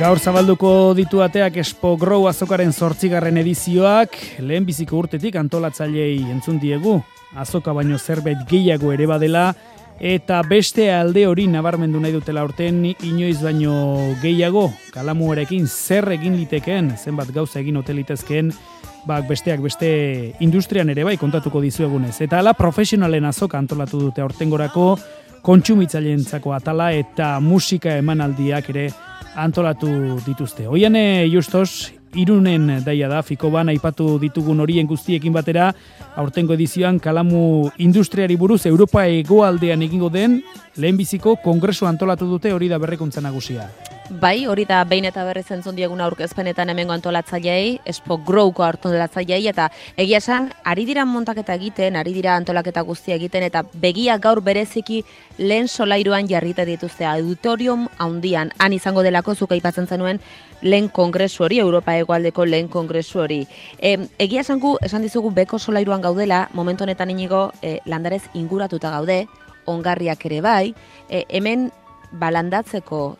Gaur zabalduko ditu ateak Expo Grow azokaren 8. edizioak, lehenbiziko urtetik antolatzaileei entzun diegu, azoka baino zerbait gehiago ere badela, eta beste alde hori nabarmendu nahi dutela urten inoiz baino gehiago, kalamuarekin zer egin litekeen, zenbat gauza egin ote litezkeen, besteak beste industrian ere bai kontatuko dizuegunez. Eta hala profesionalen azoka antolatu dute aurtengorako, kontsumitzaileentzako atala eta musika emanaldiak ere antolatu dituzte. Oiane Justos, Irunen daia da, Fikoban aipatu ditugun horien guztiekin batera, aurtengo edizioan kalamu industriari buruz Europa hegoaldean egingo den lehenbiziko kongresu antolatu dute, hori da berrikuntza nagusia. Bai, hori da behin eta berriz entzun dieguna aurkezpenetan hemengo antolatzaileei, Expo Growko antolatzaileei, eta egia esan, ari dira montaketa egiten, ari dira antolaketa guztia egiten, eta begia gaur bereziki lehen solairuan jarrita dituzte auditorium handian, han izango delako zuk aipatzen zenuen lehen kongresu hori, Europa hegoaldeko lehen kongresu hori. Egia esan dizugu beko solairuan gaudela, momentu honetan inigo landarez inguratuta gaude, ongarriak ere bai, hemen landatzeko,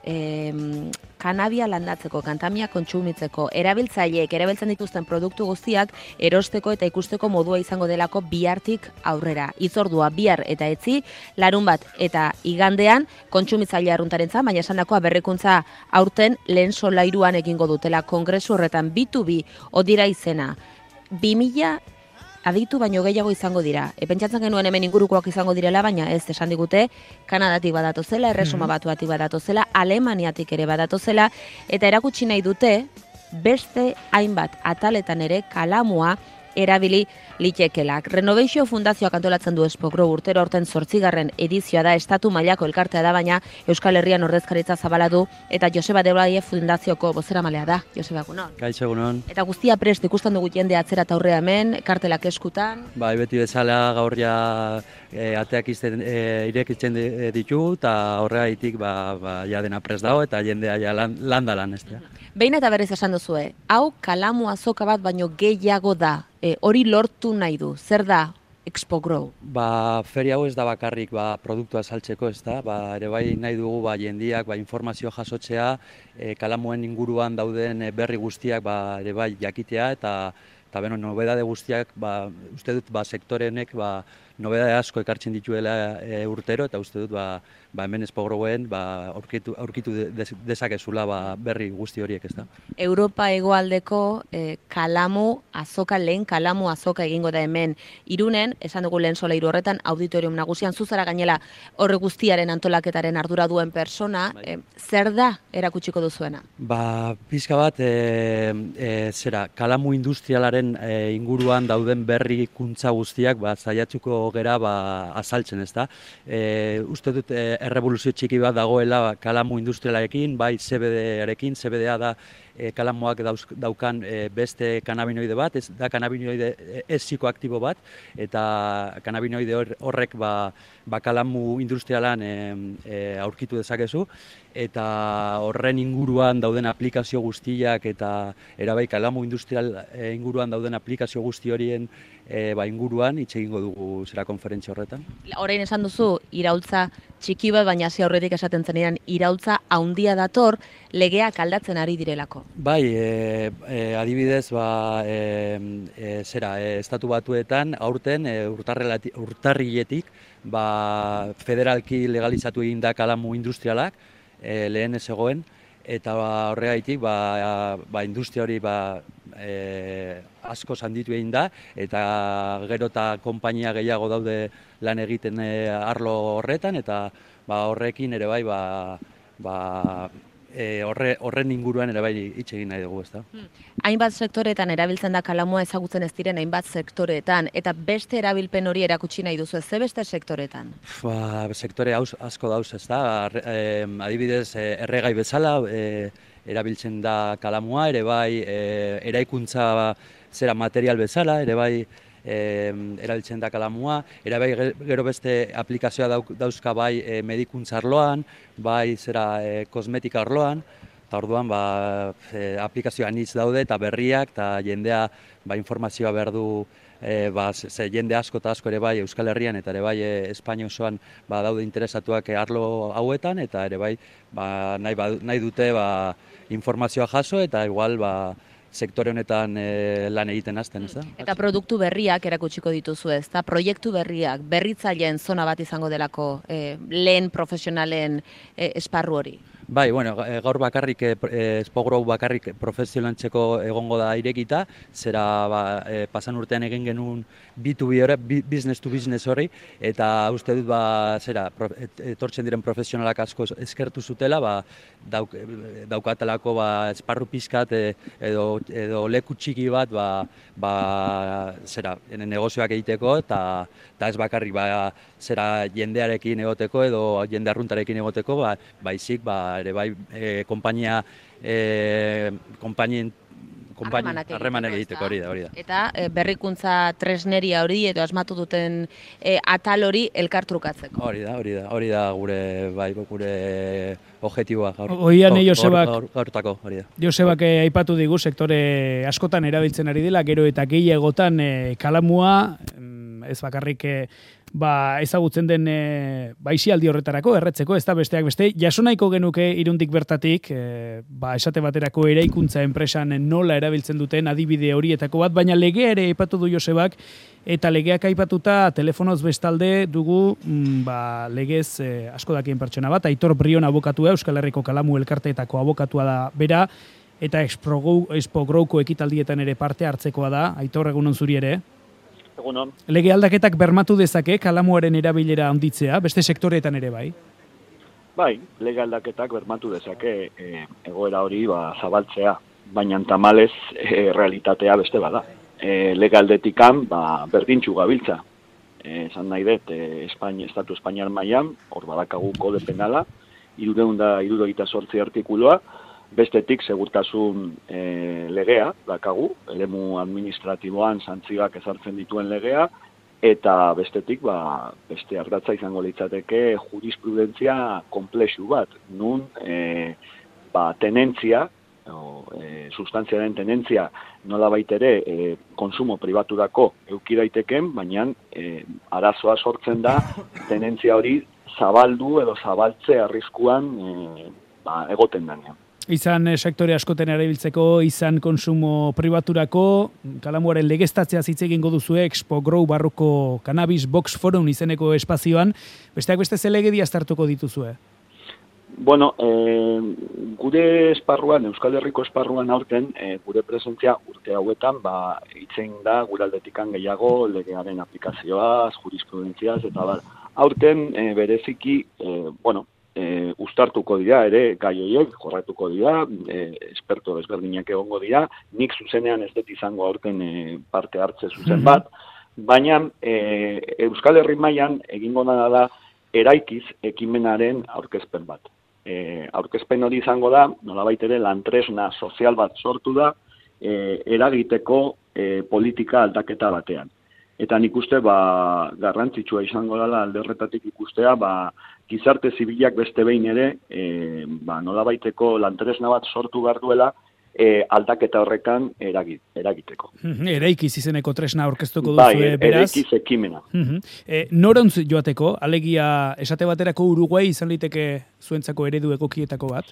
kanabia landatzeko, kantamia kontsumitzeko, erabiltzaileek erabiltzen dituzten produktu guztiak erosteko eta ikusteko modua izango delako bihartik aurrera. Hitzordua bihar eta etzi, larunbat eta igandean kontsumitzaile arruntarentzat, baina esandakoa berrikuntza aurten lehen solairuan egingo dutela kongresu horretan B2B odira izena. 2000 aditu baino gehiago izango dira. Pentsatzen genuen hemen ingurukoak izango direla, baina ez esan digute, Kanadatik badatozela, Erresuma Batuatik badatozela, Alemaniatik ere badatozela, eta erakutsi nahi dute, beste hainbat ataletan ere kalamua erabili litekelak. Renovation Fundazioak antolatzen du Expo Grow urtero aurten 8. edizioa da, estatu mailako elkartea da, baina Euskal Herrian ordezkaritza zabala du, eta Joseba Debraie Fundazioko bozeramalea da. Joseba, egunon. Kaixo, egunon. Eta guztia prest ikusten dugu jende atzera eta aurrea hemen, kartelak eskutan. Bai, beti bezala gaur ja ateak irekitzen ditu, eta horregaitik ja dena prest dago, eta jendea ja landalan ez da. Behin eta berriz esan duzue, hau kalamu azoka bat baino gehiago da, hori lortu nahi du, zer da Expo Grow? Feria hau ez da bakarrik produktua saltzeko, ez da, ere bai nahi dugu jendiak informazio jasotzea, kalamuen inguruan dauden berri guztiak ere bai jakitea, eta nobedade guztiak, uste dut sektorenek nobedade asko ekartzen dituela urtero, eta uste dut hemen Expo Growen aurkitu dezakezula berri guzti horiek, ez da. Europa hegoaldeko kalamu azoka, lehen kalamu azoka egingo da hemen Irunen, esan dugu lehen solairu horretan, auditorium nagusian, zuzara gainela horre guztiaren antolaketaren ardura duen persona, zer da erakutsiko duzuena? Pizka bat, kalamu industrialaren inguruan dauden berrikuntza guztiak zaiatzuko gera azaltzen, ez da. Uste dut errevoluzio txiki bat dagoela kalamu industrialarekin, bai CBD-arekin, CBD-a da kalamuak daukan beste kanabinoide bat, ez da kanabinoide ez psikoaktibo bat, eta kanabinoide horrek kalamu industrialan aurkitu dezakezu, eta horren inguruan dauden aplikazio guztiak eta erabai kalamu industrial inguruan dauden aplikazio guzti horien inguruan hitz egingo dugu zera konferentzia horretan. Orain esan duzu iraultza txiki bat, baina hasi aurretik esaten zenean iraultza handia dator legeak aldatzen ari direlako. Bai, adibidez, Estatu Batuetan aurten urtarriletik federalki legalizatu egin da kalamu industrialak, lehen ez egoen, eta horregaitik industria hori asko handitu egin da, eta gero eta konpainia gehiago daude lan egiten arlo horretan, eta horrekin ere bai horren inguruan ere bai hitz egin nahi dugu, ez da. Hainbat sektoretan erabiltzen da kalamua ezagutzen ez diren hainbat sektoretan, eta beste erabilpen hori erakutsi nahi duzu, ze beste sektoretan? Sektore asko dauz, ez da. Adibidez, erregai bezala erabiltzen da kalamua, ere bai eraikuntza material bezala, ere bai erabiltzen da kalamua, ere bai gero beste aplikazioa dauzka bai medikuntza arloan, bai kosmetika arloan, eta orduan aplikazioa anitz daude eta berriak, eta jendea informazioa behar du ze jende asko eta asko ere bai Euskal Herrian eta ere bai Espainia osoan daude interesatuak arlo hauetan, eta ere bai nahi dute informazioa jaso eta igual sektore honetan lan egiten hasten, ez da? Eta produktu berriak erakutsiko dituzu, ez da? Proiektu berriak, berritzaileen zona bat izango delako lehen profesionalen esparru hori. Bai, bueno, gaur bakarrik, Spogrow bakarrik profesionaltzeko egongo da irekita, zera pasan urtean egin genuen B2B hori, business to business hori, eta uste dut, etortzen diren profesionalak asko eskertu zutela, daukatelako esparru pizkat edo leku txiki bat, negozioak egiteko, eta ez bakarrik, jendearekin egoteko edo jende arruntarekin egoteko, baizik, ere bai, harremanak egiteko hori da. Eta berrikuntza tresneria hori edo asmatu duten atal hori elkartrukatzeko. Hori da gure objektiboa gaurtako, hori da. Josebak aipatu digu sektore askotan erabiltzen ari dela, gero eta gehiagotan kalamua, ez bakarrik ezagutzen den baixialdi horretarako, erretzeko, ez da besteak beste, jasonaiko genuke Irundik bertatik, esate baterako eraikuntza enpresan nola erabiltzen duten adibide horietako bat, baina legea ere aipatu du Josebak, eta legeak aipatuta telefonoz bestalde dugu legez asko dakien pertsona bat, Aitor Brion abokatua, Euskal Herriko Kalamu elkarteetako abokatua da bera, eta Expogrowko ekitaldietan ere parte hartzekoa da. Aitor, egunon zuri ere? Egunon. Lege aldaketak bermatu dezake kalamuaren erabilera handitzea, beste sektoreetan ere bai? Bai, lege aldaketak bermatu dezake egoera hori zabaltzea, baina tamalez realitatea beste bada. Lege aldetikan berdintxu gabiltza. Esan nahi dut, Estatu Espainiar mailan, hor badakagu kode penala, 378 artikuloa, bestetik segurtasun legea, dakagu, eremu administratiboan santzioak ezartzen dituen legea, eta bestetik, beste ardatza izango litzateke jurisprudentzia komplexu bat, nun tenentzia, substantziaren tenentzia nola baitere konsumo pribaturako euki daiteken, baina arazoa sortzen da tenentzia hori zabaldu edo zabaltze arriskuan egoten denean. Izan sektore askoten erabiltzeko, izan konsumo pribaturako, kalamuaren legeztatzea hitz egingo duzue Expogrow barruko Cannabis Box Forum izeneko espazioan, besteak beste ze legedi aztertuko dituzue? Bueno, gure esparruan, Euskal Herriko esparruan aurten, gure presentzia urte hauetan, hitzen da gure aldetikan gehiago legearen aplikazioaz, jurisprudentziaz, eta aurten bereziki, uztartuko dira ere gai horiek, jorratuko dira, esperto desberdinak egongo dira, nik zuzenean ez dut izango aurten parte hartze zuzen bat, baina Euskal Herri mailan egingo da eraikiz ekimenaren aurkezpen bat. Aurkezpen hori izango da, nolabait ere lantresna sozial bat sortu da, eragiteko politika aldaketa batean. Eta nik uste garrantzitsua izango dela alde horretatik ikustea, gizarte zibilak beste behin ere, nolabaiteko lantresna bat sortu behar duela, aldaketa horrekan eragiteko. Eraikiz izeneko tresna aurkeztuko duzu, beraz? Eraikiz ekimena. Norontz joateko, alegia esate baterako Uruguai izan liteke zuentzako eredu egokietako bat?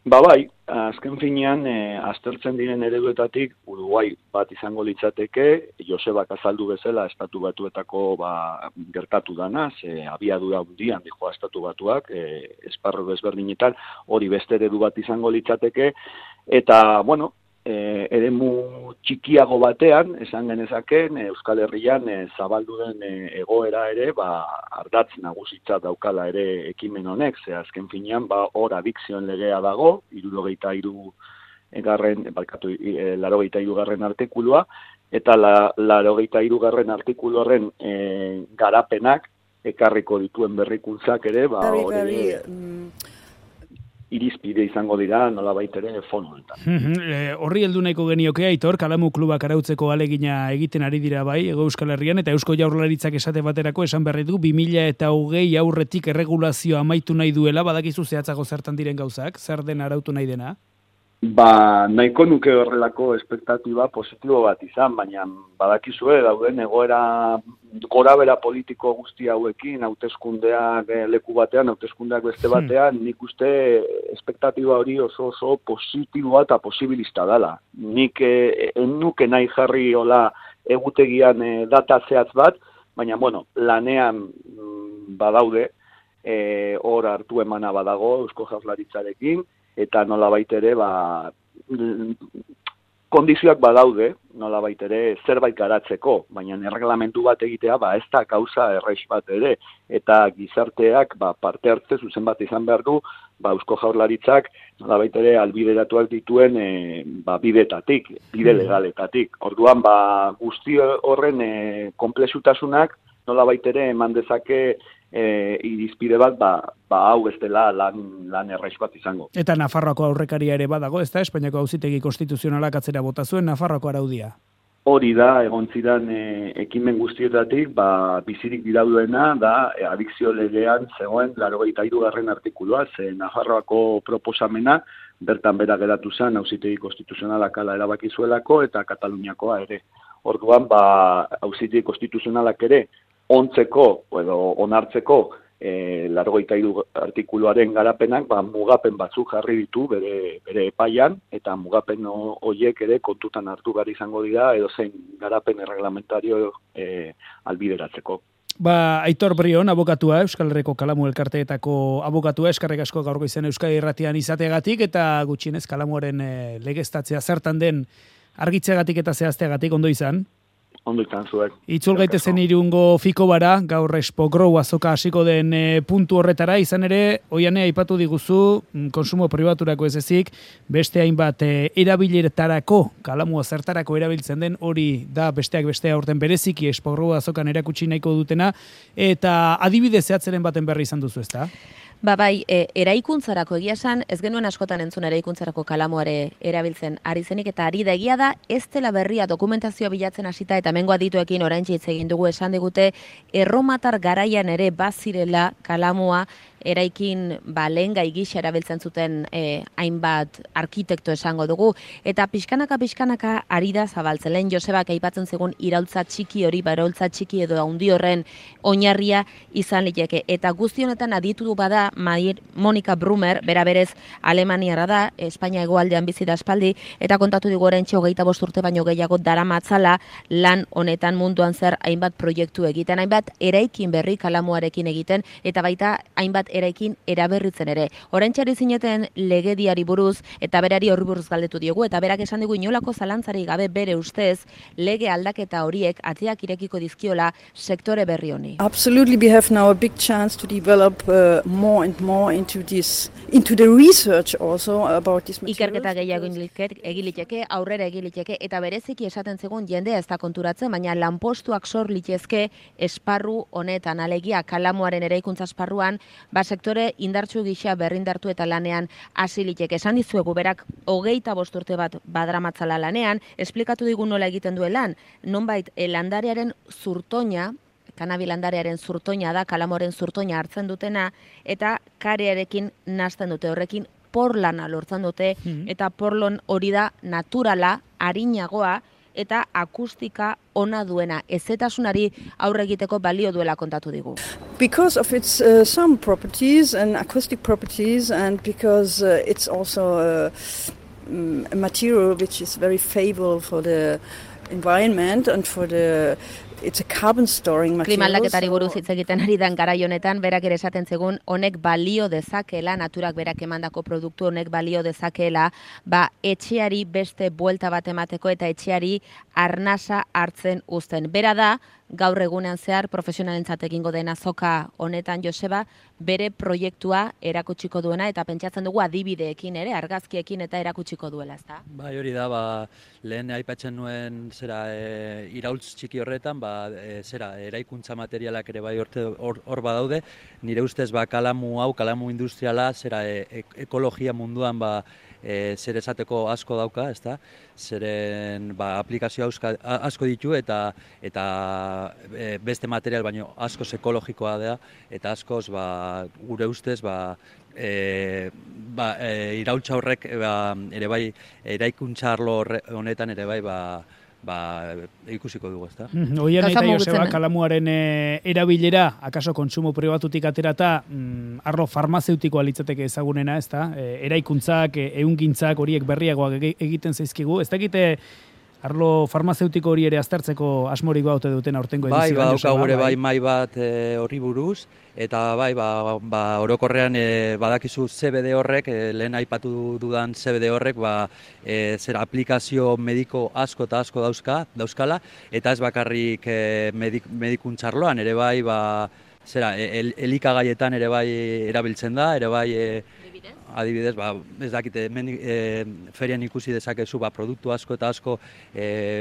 Bai, azken finean, aztertzen diren ereduetatik Uruguai bat izango litzateke, Josebak azaldu bezala Estatu Batuetako gertatu dana, abiadura handian dijoa Estatu Batuak, esparru desberdinetan, hori beste eredu bat izango litzateke, eta, eremu txikiago batean, esan genezaken, Euskal Herrian zabaldu den egoera ere, ardatz nagusitza daukala ere ekimen honek, ze azken finean, hor adikzioen legea dago, 83. artikulua, eta 83. artikulu horren garapenak ekarriko dituen berrikuntzak ere, hori irizpide izango dira nolabait ere fonoetan. Horri heldu nahiko genioke, Aitor, Kalamu klubak arautzeko alegina egiten ari dira bai, Hego Euskal Herrian, eta Eusko Jaurlaritzak esate baterako esan berri du 2020 aurretik erregulazioa amaitu nahi duela, badakizu zehatzago zertan diren gauzak, zer den arautu nahi dena? Nahiko nuke horrelako espektatiba positibo bat izan, baina badakizue dauden egoera gorabera politiko guzti hauekin, hauteskundeak leku batean, hauteskundeak beste batean, nik uste espektatiba hori oso positiboa eta posibilista dela. Nik nuke nahi jarri hola egutegian data zehatz bat, baina lanean badaude, hor hartu emana badago Eusko Jaurlaritzarekin, eta nolabait ere kondizioak badaude, nolabait ere zerbait garatzeko, baina erreglamentu bat egitea ez da gauza erraiz bat ere, eta gizarteak parte hartze zuzen bat izan behar du, Eusko Jaurlaritzak nolabait ere albideratuak dituen bidetatik, bide legaletatik. Orduan guzti horren konplexutasunak nolabait ere eman dezake irizpide bat, hau ez dela lan erraiz bat izango. Eta Nafarroako aurrekaria ere badago, ez da? Espainiako Auzitegi Konstituzionalak atzera bota zuen Nafarroako araudia. Hori da, egon zidan ekimen guztietatik, bizirik dirauduena, da adikzio legean zegoen 83. artikulua, ze Nafarroako proposamena, bertan bera geratu zen, Auzitegi Konstituzionalak ala erabaki zuelako, eta Kataluniakoa ere. Orduan, Auzitegi Konstituzionalak ere, ontzeko edo onartzeko 83. artikuluaren garapenak mugapen batzuk jarri ditu bere epaian, eta mugapen horiek ere kontutan hartu behar izango dira edozein garapen erreglamentario albideratzeko. Aitor Brion, abokatua, Euskal Herriko Kalamu elkarteetako abokatua, eskerrik asko gaur goizean Euskadi Irratian izateagatik, eta gutxienez Kalamuaren legeztatzea zertan den argitzeagatik eta zehazteagatik ondo izan. Ondo izan zuek. Itzul gaitezen Irungo Fikobara, gaur Expo Grow azoka hasiko den puntu horretara, izan ere, oiane aipatu diguzu, konsumo pribaturako ez ezik, beste hainbat erabileretarako, Kalamua zertarako erabiltzen den, hori da besteak bestea urten bereziki Expo Grow azokan erakutsi nahiko dutena, eta adibide zehatzeren baten berri izan duzu, ezta? Bai, eraikuntzarako egia esan, ez genuen askotan entzun eraikuntzarako Kalamuare erabiltzen ari zenik, eta ari da egia da, ez dela berria dokumentazioa bilatzen hasita eta hemengo adituekin oraintxe hitz egin dugu esan digute, erromatar garaian ere bazirela Kalamua eraikin lehengai gisa erabiltzen zuten hainbat arkitekto esango dugu, eta pixkanaka ari da zabaltzen. Lehen Josebak aipatzen zegun iraultza txiki hori, iraultza txiki edo handi horren oinarria izan liteke. Eta guzti honetan aditu bada Monika Brumer, bera berez Alemaniara da, Espainia hegoaldean bizi da aspaldi, eta kontatu digu oraintxe 25 urte baino gehiago daramatzala lan honetan munduan zer hainbat proiektu egiten, hainbat eraikin berri Kalamuarekin egiten, eta baita hainbat eraikin eraberritzen ere. Oraintxe zineten legediari buruz, eta berari horri buruz galdetu diogu, eta berak esan digu inolako zalantzari gabe bere ustez, lege aldaketa horiek ateak irekiko dizkiola sektore berri honi. Absolutely, we have now a big chance to develop more and more into the research also about this material. Ikerketa gehiago egiliteke, aurrera egiliteke, eta bereziki esaten zegoen jendea ez da konturatzen, baina lanpostuak sor litezke esparru honetan, alegia Kalamuaren eraikuntza esparruan, sektore indartsu gisa berrindartu eta lanean hasi liteke. Esan dizuegu berak 25 urte bat badramatzala lanean, esplikatu digu nola egiten duelan, nonbait landarearen zurtoina, kanabi landarearen zurtoina da, Kalamuaren zurtoina hartzen dutena, eta karearekin nahasten dute, horrekin porlana lortzen dute, eta porlon hori da naturala, arinagoa, eta akustika ona duena, ezetasunari aurre egiteko balio duela kontatu digu. Because of its some properties and acoustic properties, and because it's also a material which is very favorable for the environment and for the it's a carbon storing material. Klima aldaketari buruz hitz egiten ari dan garai honetan, berak ere esaten zegun, honek balio dezakeela, naturak berak emandako produktu honek balio dezakeela, etxeari beste buelta bat emateko eta etxeari arnasa hartzen uzten. Bera da, gaur egunean zehar profesionalentzat egingo den azoka honetan Joseba, bere proiektua erakutsiko duena, eta pentsatzen dugu adibideekin ere, argazkiekin eta erakutsiko duela, ezta? Bai, hori da, lehen aipatzen nuen iraultz txiki horretan, eraikuntza materialak ere bai hor badaude, nire ustez Kalamu industriala, ekologia munduan zer esateko asko dauka, ezta? Zeren aplikazio asko ditu eta beste material baino asko ekologikoa da eta askoz gure ustez iraultza horrek ere bai eraikuntza arlo honetan ere bai ikusiko dugu, ezta? Oian eta Joseba, kalamuaren erabilera, akaso kontsumo pribatutik aterata, arlo farmazeutikoa litzateke ezagunena, ezta? Eraikuntzak, ehungintzak horiek berriagoak egiten zaizkigu. Ez dakite arlo farmazeutiko hori ere aztertzeko asmorik baute duten aurtengo edizioan. Bai, badauka gure mai bat horri buruz, eta orokorrean badakizu CBD horrek, lehen aipatu dudan CBD horrek, zera aplikazio mediko asko eta asko dauzkala, eta ez bakarrik medikuntzarloan, ere bai, elikagaietan ere bai erabiltzen da, ere bai adibidez, ez dakite, ferian ikusi dezakezu, produktu asko eta asko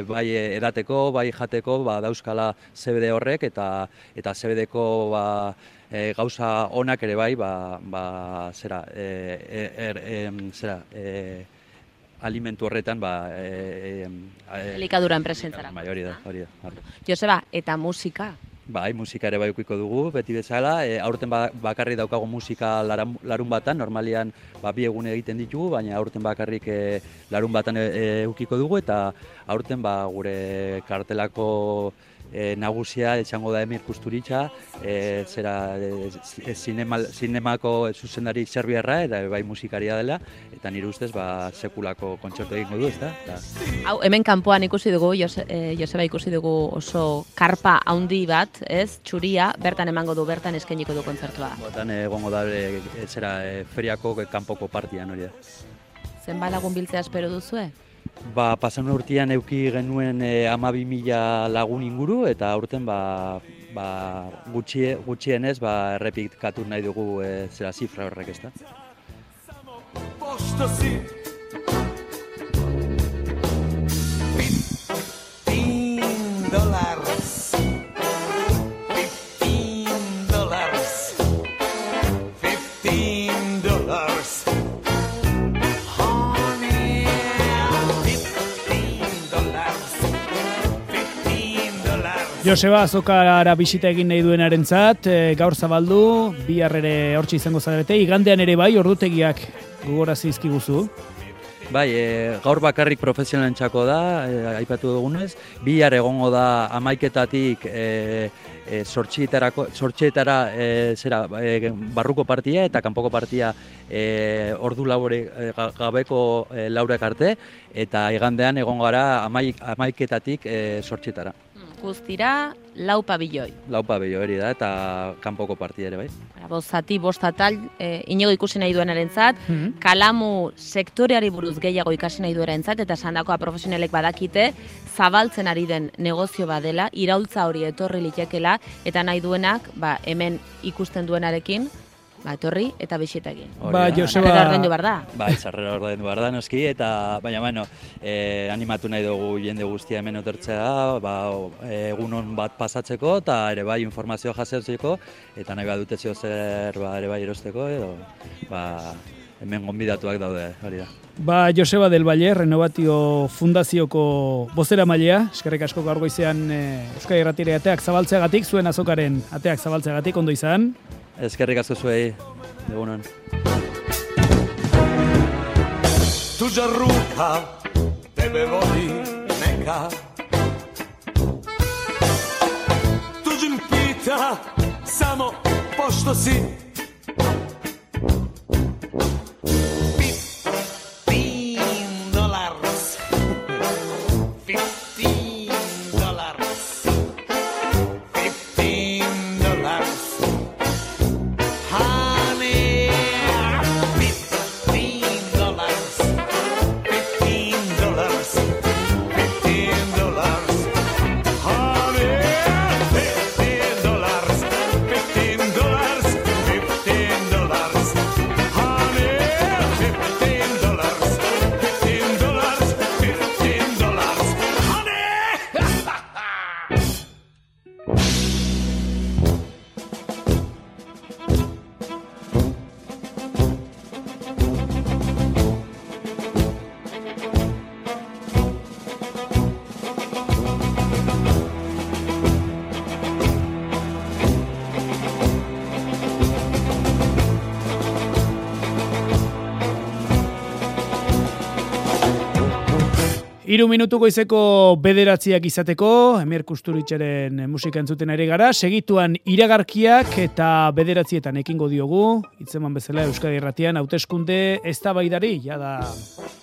bai edateko, bai jateko, dauzkala CBD horrek, eta CBD-ko gauza onak ere bai, alimentu horretan, elikaduran presentzara. Hori da. Joseba, eta musika? Bai, musika ere bai ukiko dugu, beti bezala. Aurten bakarrik daukagu musika larun batan, normalian bi egun egiten ditugu, baina aurten bakarrik larun batan ukiko dugu, eta aurten gure kartelako nagusia etxango da Emir Kusturitza, zinemako zuzendari serbiarra, eta bai musikaria dela, eta nire ustez sekulako kontzertu egingo du, ezta? Hau, hemen kanpoan ikusi dugu, Joseba ikusi dugu oso karpa handi bat, ez, txuria, bertan emango du, bertan eskainiko du kontzertua. Botan egongo da, feriako kanpoko partian hori da. Zenbat lagun biltzea espero duzue? Pasan urtean euki genuen 12.000 lagun inguru, eta aurten gutxienez errepikatu nahi dugu zifra horrek, ezta? Joseba, azokara bisita egin nahi duenarentzat, gaur zabaldu, bihar ere hortxe izango zarete, igandean ere bai, ordutegiak gogorazi izkiguzu. Bai, gaur bakarrik profesionalentzako da, aipatu dugunez, bihar egongo da 11:00-tatik zortzietara barruko partia eta kanpoko partia ordu labore gabeko laurak arte, eta igandean egongo gara 11:00-tatik zortzietara. Guztira, 4 pabilloi. 4 pabilloi hori da, eta kanpoko partia ere bai. Bost atal, inigo ikusi nahi duenarentzat, kalamu sektoreari buruz gehiago ikasi nahi duenarentzat, eta sandakoa profesionalek badakite, zabaltzen ari den negozio badela, iraultza hori etorri litekela, eta nahi duenak, hemen ikusten duenarekin, etorri eta bisita egin. Joseba, sarrera ordaindu behar da. Sarrera ordaindu behar da, noski, eta baina, animatu nahi dugu jende guztia hemen otortzea, egunon bat pasatzeko, eta ere bai informazioa jasotzeko, eta nahi badute zer ere bai erosteko, edo hemen gonbidatuak daude, hori da. Joseba del Valle, Renovatio Fundazioko bozeramailea, eskerrik asko gaur goizean Euskadi Irratire ateak zabaltzeagatik, zuen azokaren ateak zabaltzeagatik, ondo izan. Eskerrik asko zuei, egunon. Tuđa ruka tebe vodi neka, tuđim pita samo pošto si. $15 3 minutu goizeko 9 izateko, Emer Kusturitzaren musika entzuten ari gara, segituan iragarkiak eta 9 ekingo diogu, hitzeman bezala Euskadi Irratian, hauteskunde eztabaidari, jada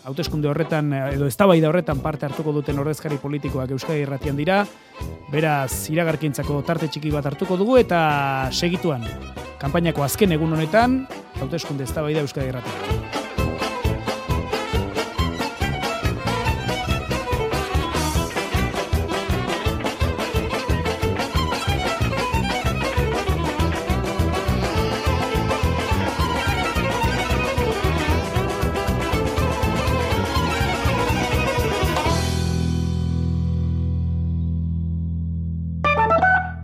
hauteskunde horretan, edo eztabaida horretan parte hartuko duten ordezkari politikoak Euskadi Irratian dira, beraz iragarkientzako tarte txiki bat hartuko dugu, eta segituan, kanpainako azken egun honetan, hauteskunde eztabaida Euskadi Irratian.